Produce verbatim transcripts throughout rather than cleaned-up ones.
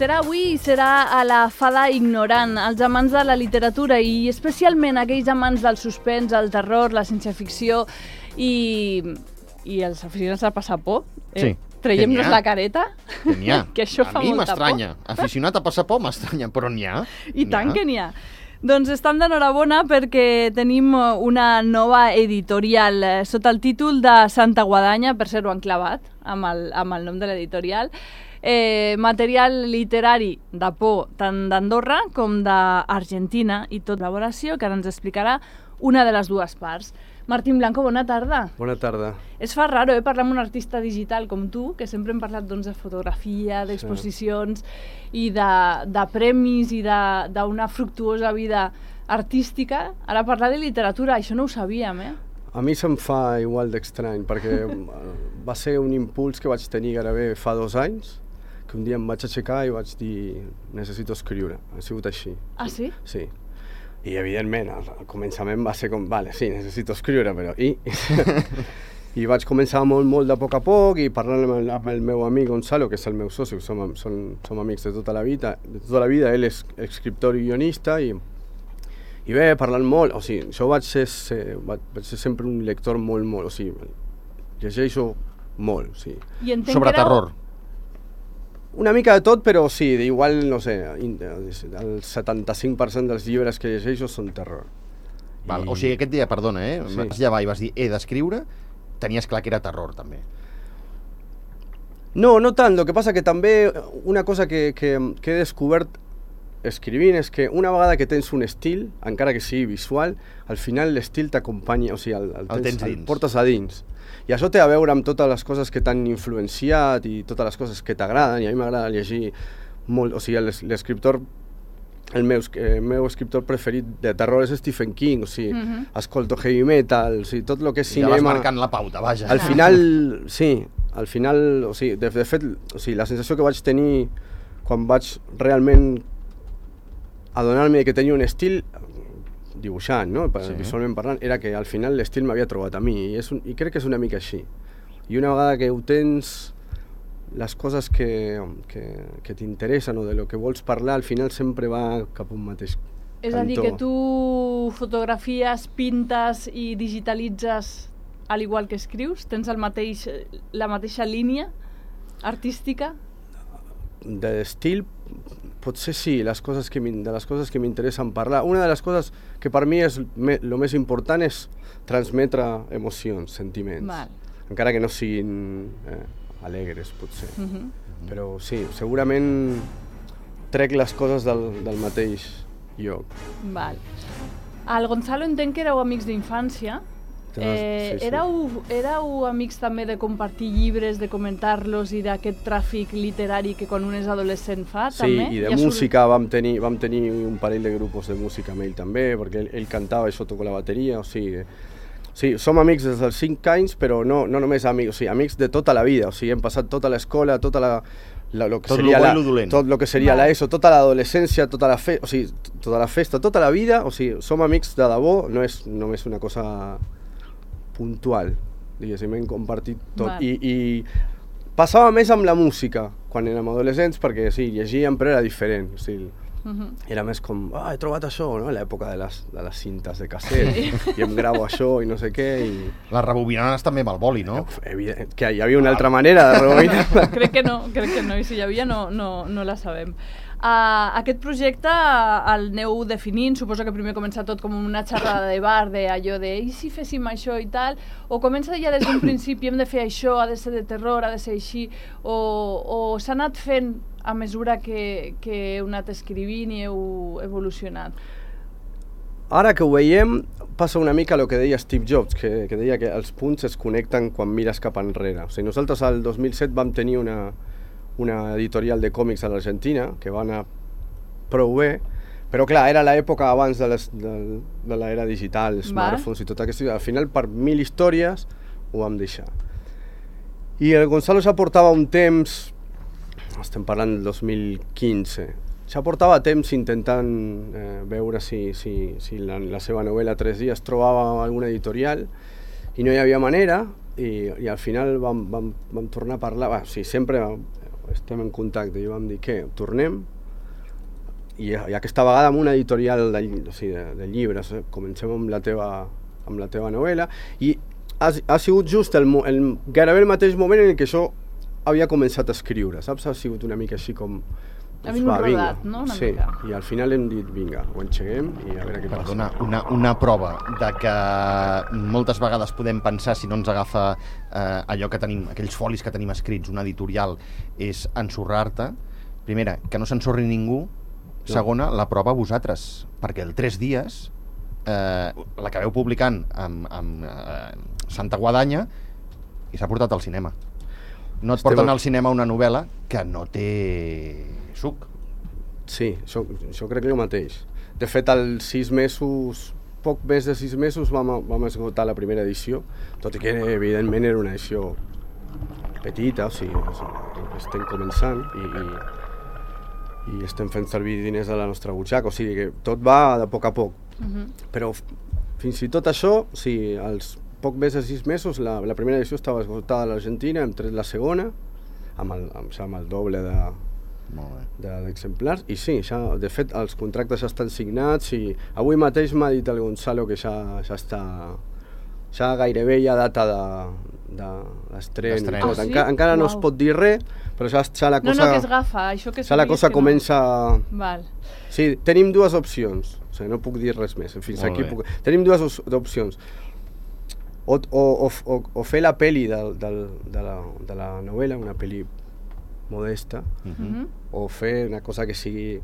serà avui i serà a la Fada Ignorant. Els amants de la literatura i especialment aquells amants del suspens, el terror, la ciència-ficció i, i els aficionats a passar por. Eh? Sí. Traiem-nos la careta. Que n'hi ha. Que això a fa mi molta m'estranya. Aficionat a passar por m'estranya, però n'hi ha. I tant que n'hi ha. Doncs estem d'enhorabona perquè tenim una nova editorial sota el títol de Santa Guadanya, per ser-ho enclavat amb el, amb el nom de l'editorial. Eh, material literari de por tant d'Andorra com d'Argentina i tot col·laboració que ara ens explicarà una de les dues parts. Martín Blanco, bona tarda. Bona tarda. Es fa raro, eh, parlar amb un artista digital com tu, que sempre hem parlat doncs, de fotografia, d'exposicions sí. i de, de premis i d'una fructuosa vida artística. Ara parlar de literatura, això no ho sabíem, eh? A mi se'm fa igual d'estrany, perquè va ser un impuls que vaig tenir gairebé fa dos anys, que un dia em vaig aixecar i vaig dir necessito escriure. Ha sigut així. Ah, sí? Sí. I, evidentment, al, al començament va ser com, vale, sí, necessito escriure, però i? I vaig començar molt, molt de poc a poc i parlant amb el, amb el meu amic Gonzalo, que és el meu soci, som, som, som amics de tota la vida, de tota la vida, ell és escriptor i guionista i, i bé, parlant molt, o sigui, jo vaig ser, ser, vaig ser sempre un lector molt, molt, o sigui, llegeixo molt, o sigui. I entenc sobre que era... terror. Una mica de tot, però sí, igual, no sé, el setanta-cinc per cent dels llibres que llegeixo són terror. Val, I... O sigui, aquest dia, perdona, eh? Sí. Vas llevar i vas dir, he d'escriure, tenies clar que era terror, també. No, no tant, el que passa que també una cosa que, que, que he descobert escrivint és que una vegada que tens un estil, encara que sigui visual, al final l'estil t'acompanya, o sigui, el, el, el, tens, tens el portes a dins. I això té a veure amb totes les coses que t'han influenciat i totes les coses que t'agraden, i a mi m'agrada llegir molt, o sigui, l'escriptor, el meu, el meu escriptor preferit de terror és Stephen King, o sigui, uh-huh. escolto heavy metal, o sigui, tot el que és I cinema... ja vas marcant la pauta, vaja. Al final, sí, al final, o sigui, de, de fet, o sigui, la sensació que vaig tenir quan vaig realment adonar-me que tenia un estil dibuixant, no? Sí. Visualment parlant, era que al final l'estil m'havia trobat a mi i, és un, i crec que és una mica així. I una vegada que ho tens, les coses que, que, que t'interessen o de lo que vols parlar, al final sempre va cap a un mateix cantó. És a dir, que tu fotografies, pintes i digitalitzes al igual que escrius? Tens el mateix, la mateixa línia artística? D'estil, potser sí, les coses que de les coses que m'interessen parlar. Una de les coses que per mi és me, lo més important és transmetre emocions, sentiments. Val. Encara que no siguin eh, alegres, potser. Uh-huh. Però sí, segurament trec les coses del, del mateix lloc. Val. El Gonzalo entenc que éreu amics d'infància. Eh, sí, sí. Éreu, éreu amics també de compartir llibres, de comentar-los i d'aquest tràfic literari que quan un és adolescent fa, sí, també? Sí, i de ja música vam tenir, vam tenir un parell de grupos de música amb ell també, perquè ell, ell cantava i jo toco la bateria, o sigui... Sí, som amics des dels cinc anys, però no, no només amics, o sigui, amics de tota la vida, o sigui, hem passat tota l'escola, tota la... La, lo que tot seria lo bo la, i lo dolent. Tot el que seria la ESO, tota l'adolescència, tota la fe, o sigui, tota la festa, tota la vida, o sigui, som amics de debò, no és només una cosa puntual, diguéssim, hem compartit tot. I, I passava més amb la música quan érem adolescents, perquè sí, llegíem, però era diferent, o sigui, uh-huh. era més com, ah, he trobat això, no?, a l'època de les, de les cintes de casset, sí. I em gravo això i no sé què. I... Les rebobinaves també amb el boli, no? Evident, que hi havia una altra manera de rebobinar. Crec que no, crec que no, i si hi havia no, no, no la sabem. Uh, aquest projecte el aneu definint, suposo que primer comença tot com una xerrada de bar, de allò de i si féssim això i tal, o comença ja des d'un principi, hem de fer això, ha de ser de terror, ha de ser així, o, o s'ha anat fent a mesura que, que heu anat escrivint i heu evolucionat? Ara que ho veiem, passa una mica el que deia Steve Jobs, que, que deia que els punts es connecten quan mires cap enrere. O sigui, nosaltres al dos mil set vam tenir una... una editorial de còmics a l'Argentina, que va anar prou bé, però clar, era l'època abans de, les, de, de l'era digital, smartphones i tot aquest... Al final, per mil històries, ho vam deixar. I el Gonzalo ja portava un temps, estem parlant del dos mil quinze, ja portava temps intentant eh, veure si, si, si la, la seva novel·la Tres dies trobava alguna editorial, i no hi havia manera, i, i al final vam, vam, vam tornar a parlar, bah, sí, sempre... estem en contacte i vam dir, què, tornem? I, i aquesta vegada amb una editorial de, o sigui, de, de llibres, eh? Comencem amb la teva, amb la teva novel·la, i ha, ha sigut just el, el, gairebé el mateix moment en què jo havia començat a escriure, saps? Ha sigut una mica així com... Ha vingut rodat, no? Una sí, mica. I al final hem dit, vinga, ho enxeguem i a veure què Perdona, passa. una, una prova de que moltes vegades podem pensar, si no ens agafa eh, allò que tenim, aquells folis que tenim escrits, una editorial, és ensorrar-te. Primera, que no s'ensorri ningú. Segona, la prova a vosaltres, perquè el Tres dies eh, l'acabeu publicant amb, amb eh, Santa Guadanya i s'ha portat al cinema. No et Estem porten a... al cinema una novel·la que no té suc. Sí, això, això crec que el mateix. De fet, als sis mesos, poc més de sis mesos, vam, vam esgotar la primera edició, tot i que, evidentment, era una edició petita, o sigui, estem començant i, i, i estem fent servir diners de la nostra butxaca, o sigui que tot va de poc a poc. Uh-huh. Però fins i tot això, o sigui, als poc més de sis mesos, la, la primera edició estava esgotada a l'Argentina, hem tret la segona, amb el, amb, amb el doble de, d'exemplars, i sí, ja, de fet els contractes ja estan signats i avui mateix m'ha dit el Gonzalo que ja, ja està, ja gairebé hi ha data de, de l'estren i tot. Ah, sí? Enca, encara no Uau. es pot dir res, però ja, ja la cosa, No, no, que es gafa, això que ja la cosa que comença... No. Val. Sí, tenim dues opcions, o sigui, no puc dir res més, fins Molt aquí bé. puc... Tenim dues opcions. O, o, o, o, o fer la peli de, de, de, la, de la novel·la, una peli modesta, Uh-huh. o fer una cosa que sigui,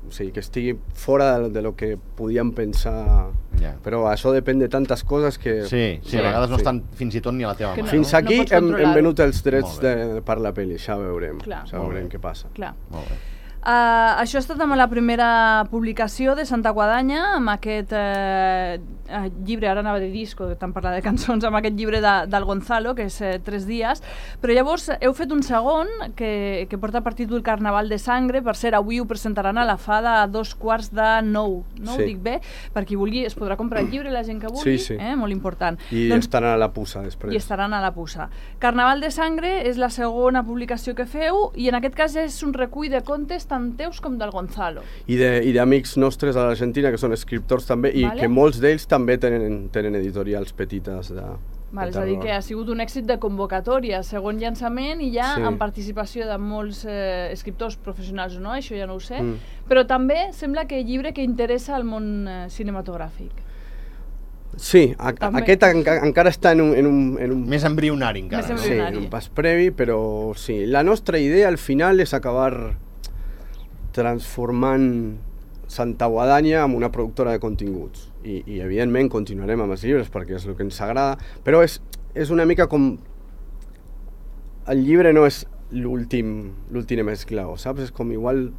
o sigui, que estigui fora de, de lo que podíem pensar, Ja. però això depèn de tantes coses que... Sí, sí, a vegades no sí. estan fins i tot ni a la teva Que mà. no. Fins no aquí pots hem, hem controlar-ho. venut els drets Molt bé. de, per la peli, ja veurem, Clar. ja Molt veurem bé. què passa. Clar. Molt bé. Uh, això ha estat amb la primera publicació de Santa Guadanya, amb aquest uh, uh, llibre, ara anava de disco, tant parlar de cançons, amb aquest llibre de, del Gonzalo, que és uh, Tres dies, però llavors heu fet un segon que, que porta per títol Carnaval de Sangre. Per cert, avui ho presentaran a la Fada a dos quarts de nou, no Sí. ho dic bé? Per qui vulgui, es podrà comprar el llibre, la gent que vulgui, Sí, sí. Eh? Molt important. I Doncs, estaran a la puça després. i estaran a la puça. Carnaval de Sangre és la segona publicació que feu i en aquest cas és un recull de contes tant teus com del Gonzalo. I de- i d'amics nostres a l'Argentina que són escriptors també, i Vale. que molts d'ells també tenen, tenen editorials petites de, Val, de és a dir, terror. que ha sigut un èxit de convocatòria, segon llançament i ja Sí. amb participació de molts eh, escriptors professionals o no, això ja no ho sé, Mm. però també sembla que llibre que interessa al món eh, cinematogràfic. Sí, a, També. aquest enca, encara està en un, en un, en un Més embrionari encara, Més no? sí, embrionari. en un pas previ, però sí. La nostra idea al final és acabar transformant Santa Guadanya en una productora de continguts. I, i evidentment continuarem amb els llibres perquè és el que ens agrada, però és, és una mica com... El llibre no és l'últim l'últim esclau, saps? És com igual...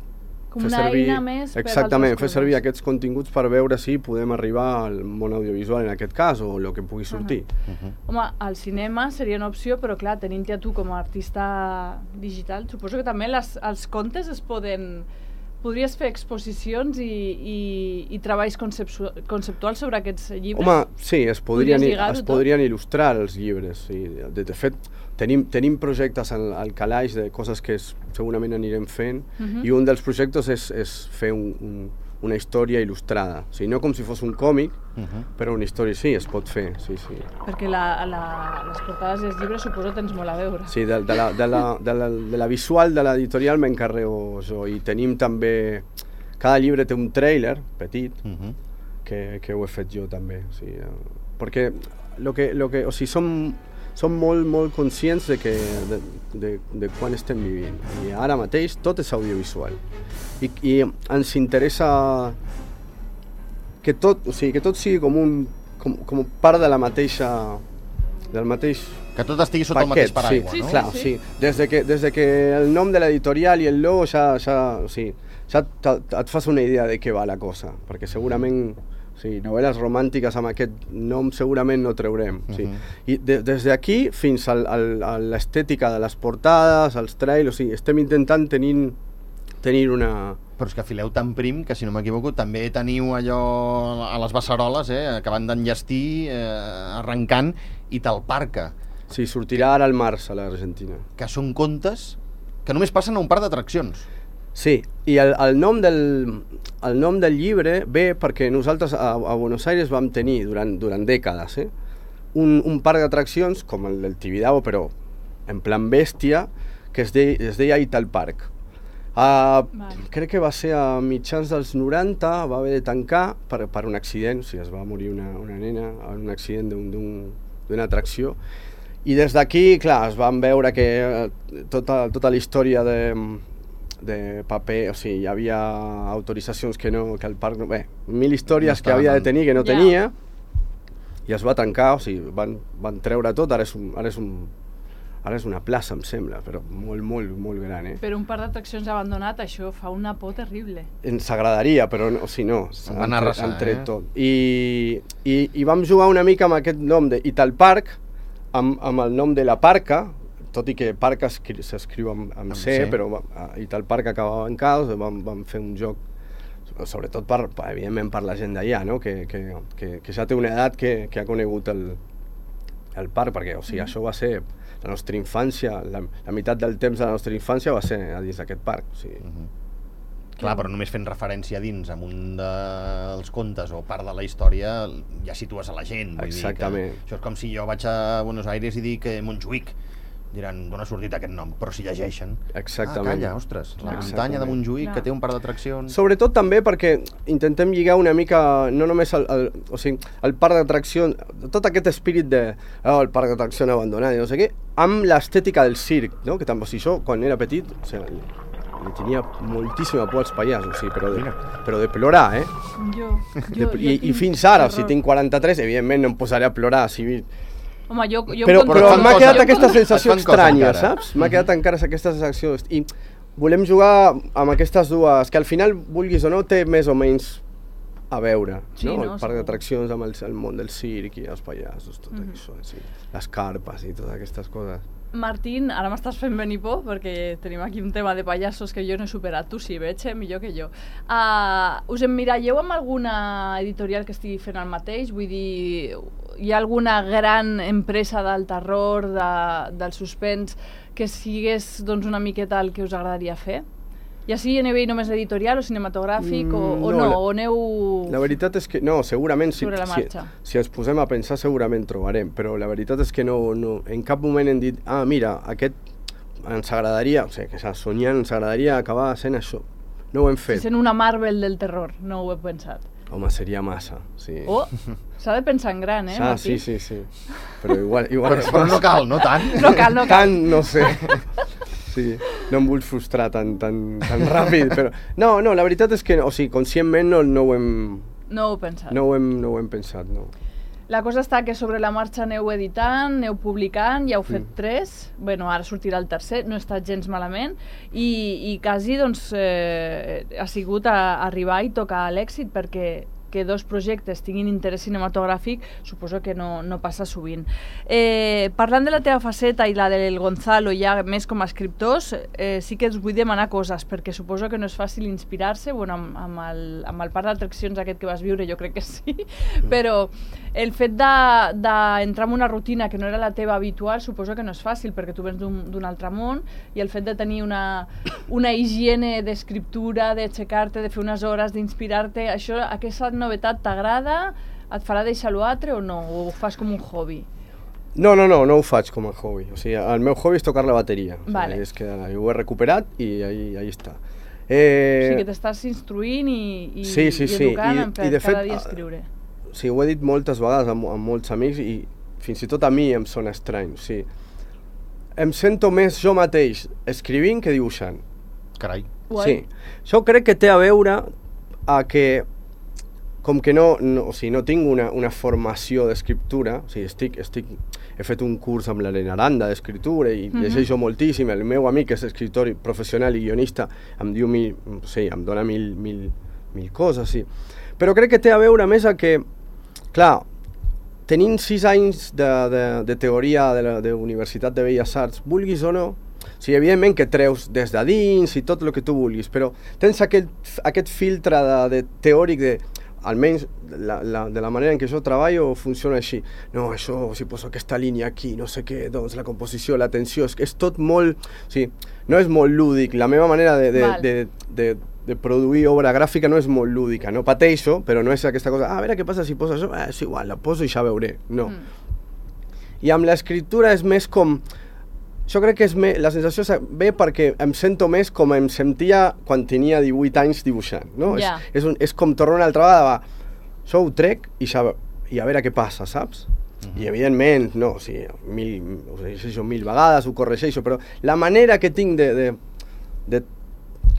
Com fer una eina més per exactament, altres fer servir coses. aquests continguts per veure si podem arribar al món audiovisual en aquest cas, o el que pugui sortir. Uh-huh. Home, el cinema seria una opció, però clar, tenint-te a tu com a artista digital, suposo que també les, els contes es poden... Podries fer exposicions i, i, i treballs conceptu conceptuals sobre aquests llibres? Home, sí, es podrien, Podries lligar-ho es tot? podrien il·lustrar els llibres. Sí. De, de fet, tenim, tenim projectes al, al calaix de coses que es, segurament anirem fent, Mhm. i un dels projectes és, és fer un, un, una història il·lustrada. O sigui, no com si fos un còmic, Uh-huh. però una història sí, es pot fer. Sí, sí. Perquè la, la, les portades dels llibres suposo tens molt a veure. Sí, de, de, la, de, la, de, la, de la visual de l'editorial m'encarrego jo, i tenim també... Cada llibre té un tràiler petit, Uh-huh. que, que ho he fet jo també, o sigui, eh, perquè lo que, lo que, o sigui, som, som molt, molt conscients de, que, de, de, de quan estem vivint, i ara mateix tot és audiovisual, i, i ens interessa que tot, o sigui, que tot sigui com, un, com, com part de la mateixa, del mateix Que tot estigui sota el mateix paraigua, sí, no? Clar, sí. Des de que, des de que el nom de l'editorial i el logo ja, ja, o sigui, ja te- et fas una idea de què va la cosa, perquè segurament, o sigui, novel·les romàntiques amb aquest nom segurament no traurem. O sigui, Mhm. I de, des d'aquí fins al, al, a l'estètica de les portades, els trailers, o sigui, estem intentant tenir, tenir una... Però és que fileu tan prim que, si no m'equivoco, també teniu allò a les beceroles, eh, acabant d'enllestir, eh, arrencant, i te'l parca, Sí, sortirà ara al març a l'Argentina. que són contes que només passen a un parc d'atraccions. Sí, i el, el, nom del, el nom del llibre ve perquè nosaltres a, a Buenos Aires vam tenir durant, durant dècades eh, un, un parc d'atraccions com el del Tibidabo, però en plan bèstia, que es, de, es deia Ital Park. Uh, vale. Crec que va ser a mitjans dels noranta, va haver de tancar per, per un accident, o sigui, es va morir una, una nena en un accident d'una atracció. I des d'aquí, clar, es van veure que tota, tota la història de... de paper, o sigui, hi havia autoritzacions que no, que el parc no... Bé, mil històries no que havia de tenir que no yeah. tenia, i es va tancar, o sigui, van, van treure tot, ara és, un, ara, és un, ara és una plaça, em sembla, però molt, molt, molt gran, eh? Però un parc d'atraccions abandonat, això fa una por terrible. Ens agradaria, però no, o sigui, no, han, han, arrasar, han tret eh? tot. I, i, I vam jugar una mica amb aquest nom de Ital Park, amb, amb el nom de la Parca, tot i que Parc s'escriu amb, amb C, C, però a Ital Park acabava en caos, vam, vam fer un joc, sobretot per, evidentment per la gent d'allà, no? que, que, que, que ja té una edat que, que ha conegut el, el parc, perquè o sigui, mm. això va ser la nostra infància, la, la meitat del temps de la nostra infància va ser a dins d'aquest parc. O sigui. Mm-hmm. Clar, però només fent referència dins amb un dels contes o part de la història ja situes a la gent. Vull Exactament. Dir que això és com si jo vaig a Buenos Aires i dic Montjuïc. Diran, d'on ha sortit aquest nom? Però si llegeixen... Exactament. Ah, calla, ostres, la muntanya de Montjuïc, Clar. que té un parc d'atraccions... Sobretot també perquè intentem lligar una mica, no només el, el, o sigui, el parc d'atraccions, tot aquest espírit de oh, el parc d'atraccions abandonat i no sé què, amb l'estètica del circ, no? Que també, o sigui, jo, quan era petit, o sigui, li tenia moltíssima por als pallassos, o sigui, però, de, però de plorar, eh? Jo, jo, de, i, I fins ara, si tinc quaranta-tres, evidentment no em posaré a plorar, si... Home, jo, jo però però m'ha quedat jo aquesta sensació estranya, encara. saps? M'ha quedat encara aquesta sensació. I volem jugar amb aquestes dues, que al final, vulguis o no, té més o menys a veure. Sí, no? no, El parc segur. d'atraccions amb el, el món del circ i els pallassos, tot Mhm. això, sí. Les carpes i totes aquestes coses. Martín, ara m'estàs fent venir por perquè tenim aquí un tema de pallassos que jo no he superat. Tu sí, veig, eh? Millor que jo. Uh, us emmiralleu amb alguna editorial que estigui fent el mateix? Vull dir, hi ha alguna gran empresa del terror, de, del suspens, que sigués doncs, una miqueta el que us agradaria fer? Ja sigui a nivell només editorial o cinematogràfic, mm, o, o no, no, o aneu... La veritat és que, no, segurament, si, si, si ens posem a pensar segurament trobarem, però la veritat és que no, no, en cap moment hem dit, ah, mira, aquest ens agradaria, o sigui, que soñant ens agradaria acabar sent això. No ho hem fet. Si sent una Marvel del terror, no ho he pensat. Home, seria massa, sí. Oh, s'ha de pensar en gran, eh, ah, Martí? Sí, sí, sí. Però igual... igual però, però no cal, no tant. No cal, no cal. Tant, no sé. Sí, no em vull frustrar tan, tan, tan ràpid, però... No, no, la veritat és que, o sigui, conscientment no, no ho hem... No ho heu pensat. No ho hem, no ho hem pensat, no. La cosa està que sobre la marxa aneu editant, aneu publicant, ja heu fet Mm. tres, bueno, ara sortirà el tercer, no està gens malament, i, i quasi doncs, eh, ha sigut a, a arribar i tocar l'èxit, perquè que dos projectes tinguin interès cinematogràfic suposo que no, no passa sovint. Eh, parlant de la teva faceta i la del Gonzalo ja més com a escriptors, eh, sí que us vull demanar coses, perquè suposo que no és fàcil inspirar-se, bueno, amb, amb, el, amb el parc d'atraccions aquest que vas viure jo crec que sí, però el fet d'entrar de, en una rutina que no era la teva habitual suposo que no és fàcil, perquè tu vens d'un altre món, i el fet de tenir una, una higiene d'escriptura, d'aixecar-te, de fer unes hores, d'inspirar-te, això, aquesta novetat t'agrada? Et farà deixar l'altre o no? O ho fas com un hobby? No, no, no, no ho faig com a hobby. O sigui, el meu hobby és tocar la bateria. O sigui, Vale. és que ho he recuperat i ahí, ahí està. Eh... O sigui que t'estàs instruint i, i, sí, sí, i educant sí. I, per i de cada fet, dia escriure. Sí, ho he dit moltes vegades amb, amb molts amics i fins i tot a mi em sona estrany. O sigui, em sento més jo mateix escrivint que dibuixant. Carai. Guai. Sí. Això crec que té a veure a que com que no, no, o sigui, no tinc una, una formació d'escriptura, o sigui, estic, estic, he fet un curs amb l'Helena Aranda d'escriptura i Mhm. llegeixo moltíssim, el meu amic és escriptor professional i guionista, em diu mil, o sigui, em dona mil, mil, mil coses, sí. Però crec que té a veure més a que, clar, tenint sis anys de, de, de teoria de la de Universitat de Belles Arts, vulguis o no, o sigui, evidentment que treus des de dins i tot el que tu vulguis, però tens aquest, aquest filtre de, de teòric de almenys la, la, de la manera en què jo treballo funciona així. No, això, si poso aquesta línia aquí, no sé què, doncs la composició, la tensió, és, és tot molt... O sigui, no és molt lúdic, la meva manera de, de, de, de, de produir obra gràfica no és molt lúdica, no pateixo, però no és aquesta cosa, ah, a veure què passa si poso això, eh, és igual, la poso i ja veuré, no. Mm. I amb l'escriptura és més com... Jo crec que és més, la sensació ve perquè em sento més com em sentia quan tenia divuit anys dibuixant, no? Yeah. És, és, un, és com tornar una altra vegada, va, jo ho trec i, ja, i a veure què passa, saps? Uh-huh. I evidentment, no, o sigui, mil, ho llegeixo mil vegades, ho corregeixo, però la manera que tinc de... de, de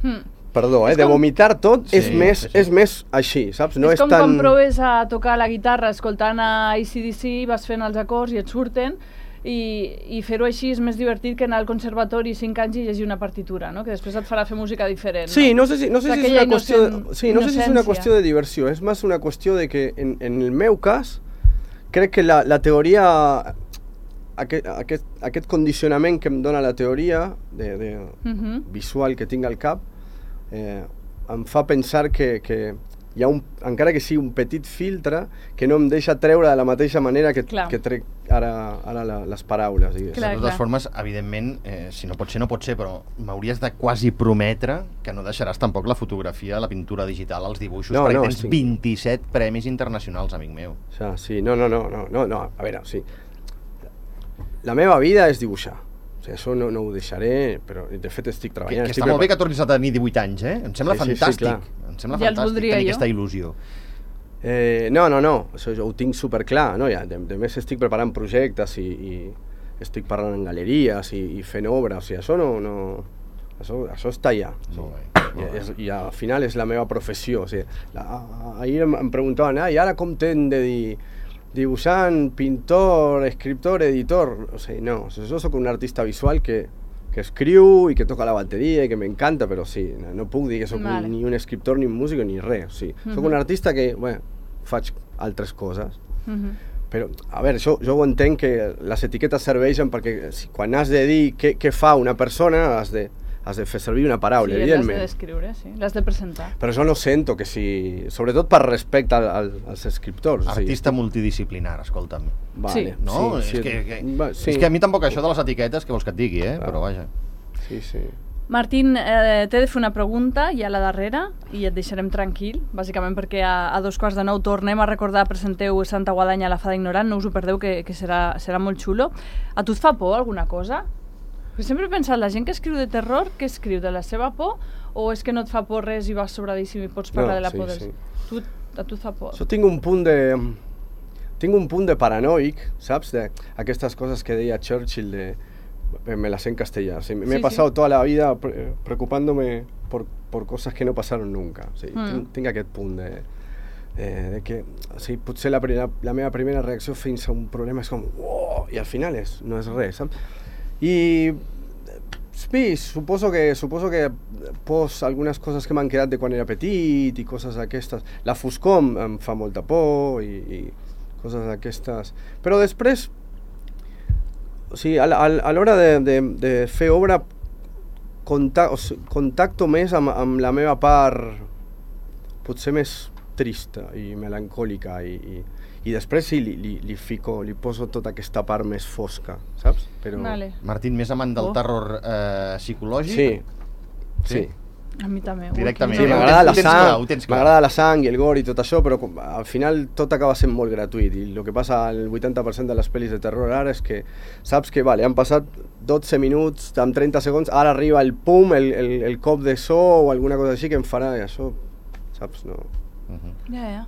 hmm. Perdó, eh, de vomitar tot sí, és, més, sí, sí. és més així, saps? No és, és com tan... quan proves a tocar la guitarra escoltant a A C D C, vas fent els acords i et surten, i, i fer-ho així és més divertit que anar al conservatori cinc anys i llegir una partitura, no? Que després et farà fer música diferent. Sí, no, no sé si, no sé si és una qüestió de, sí, no sé si és una qüestió de diversió, és més una qüestió de que en, en el meu cas crec que la, la teoria, aquest, aquest, aquest condicionament que em dona la teoria de, de uh-huh. visual que tinc al cap eh, em fa pensar que, que hi ha un, encara que sigui un petit filtre que no em deixa treure de la mateixa manera que, que trec ara, ara la, les paraules. Clar, de totes formes, evidentment, eh, si no pot ser, no pot ser, però m'hauries de quasi prometre que no deixaràs tampoc la fotografia, la pintura digital, els dibuixos, no, perquè no, tens estic... vint-i-set premis internacionals, amic meu. Ja, sí, no, no, no, no, no, no, a veure, sí. La meva vida és dibuixar. O sigui, això no, no ho deixaré, però de fet estic treballant. Que, que estic està molt bé que tornis a tenir divuit anys, eh? Em sembla sí, fantàstic. Sí, sí, em sembla ja fantàstic tenir jo. aquesta il·lusió. Eh, no, no, no, això jo ho tinc superclar, no? Ja, de, de més estic preparant projectes i, i estic parlant en galeries i, i fent obra, o sigui, això no... no això, això està allà. Sí. Molt bé. I, és, I al final és la meva professió, o sigui, la, ahir em, em preguntaven, ah, i ara com t'hem de dir dibuixant, pintor, escriptor, editor? O sigui, no, o sigui, jo soc un artista visual que que escriu i que toca la bateria i que m'encanta, però sí, no, no puc dir que soc vale. un, ni un escriptor, ni un músic, ni res. O sigui, uh-huh. soc un artista que, bueno, faig altres coses. Uh-huh. Però, a veure, jo, jo ho entenc que les etiquetes serveixen perquè si, quan has de dir què, què fa una persona, has de, has de fer servir una paraula, sí, evidentment. Sí, l'has de descriure, sí, l'has de presentar. Però jo no sento que si... Sobretot per respecte al, al, als escriptors. Artista sí. multidisciplinar, escolta'm. Vale, sí. No? Sí, és, sí, que, que, va, sí. és que a mi tampoc això de les etiquetes, que vols que et digui, eh? Ah. Però vaja. Sí, sí. Martín, eh, t'he de fer una pregunta, ja a la darrera, i et deixarem tranquil, bàsicament perquè a, a dos quarts de nou tornem a recordar, presenteu Santa Guadanya a la Fada Ignorant, no us ho perdeu, que, que serà, serà molt xulo. A tu et fa por alguna cosa? Perquè sempre he pensat, la gent que escriu de terror, que escriu de la seva por, o és que no et fa por res i vas sobradíssim i pots parlar no, de la sí, por dels... Sí. Tu, a tu et fa por? Jo tinc un punt de... Tinc un punt de paranoic, saps? De aquestes coses que deia Churchill de... Me las sé en castellano. O sea, me sí, he pasado sí. toda la vida pre preocupándome por, por cosas que no pasaron nunca. O sigui, mm. tinc, tinc aquest punt de, de, de que o sigui, potser la, la, la meva primera reacció fins a un problema és com oh, i al final és, no és res, saps? I sí, suposo que, suposo que pos algunes coses que m'han quedat de quan era petit i coses d'aquestes. La foscor em fa molta por i, i coses d'aquestes. Però després o sigui, a l'hora de, de, de fer obra contacto, o sigui, contacto més amb, amb la meva part potser més trista i melancòlica i, i, i després sí, li, li, li fico, li poso tota aquesta part més fosca, saps? Però... Vale. Martín, més amant del oh. terror eh, psicològic? Sí, sí. sí. A mi també. Directament. Sí, m'agrada la sang, m'agrada la sang i el gore i tot això, però al final tot acaba sent molt gratuït i el que passa al vuitanta per cent de les pel·lis de terror ara és que saps que vale, han passat dotze minuts, amb trenta segons, ara arriba el pum, el, el, el cop de so o alguna cosa així que em farà i això, saps, no... Uh-huh. Ja, ja.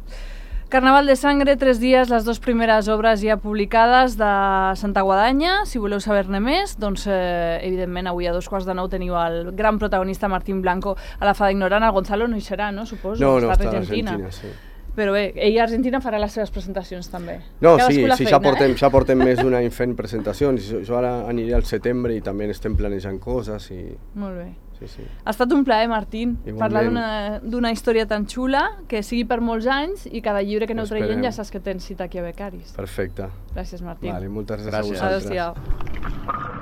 Carnaval de Sangre, tres dies, les dues primeres obres ja publicades de Santa Guadanya. Si voleu saber-ne més, doncs, eh, evidentment, avui a dos quarts de nou teniu el gran protagonista Martín Blanco a la Fada Ignorant. El Gonzalo no hi serà, no? Suposo. No, no, està a Argentina. Argentina sí. Però bé, ell a Argentina farà les seves presentacions també. No, sí, sí, ja portem, eh? ja portem més d'un any fent presentacions. Jo, jo ara aniré al setembre i també estem planejant coses. I... Molt bé. Sí, sí. Ha estat un plaer, Martín, Igualment. parlar d'una història tan xula, que sigui per molts anys i cada llibre que aneu traient ja saps que tens cita aquí a Becaris. Perfecte. Gràcies, Martín. Vale, moltes gràcies, gràcies. a vosaltres. Adéu-siau.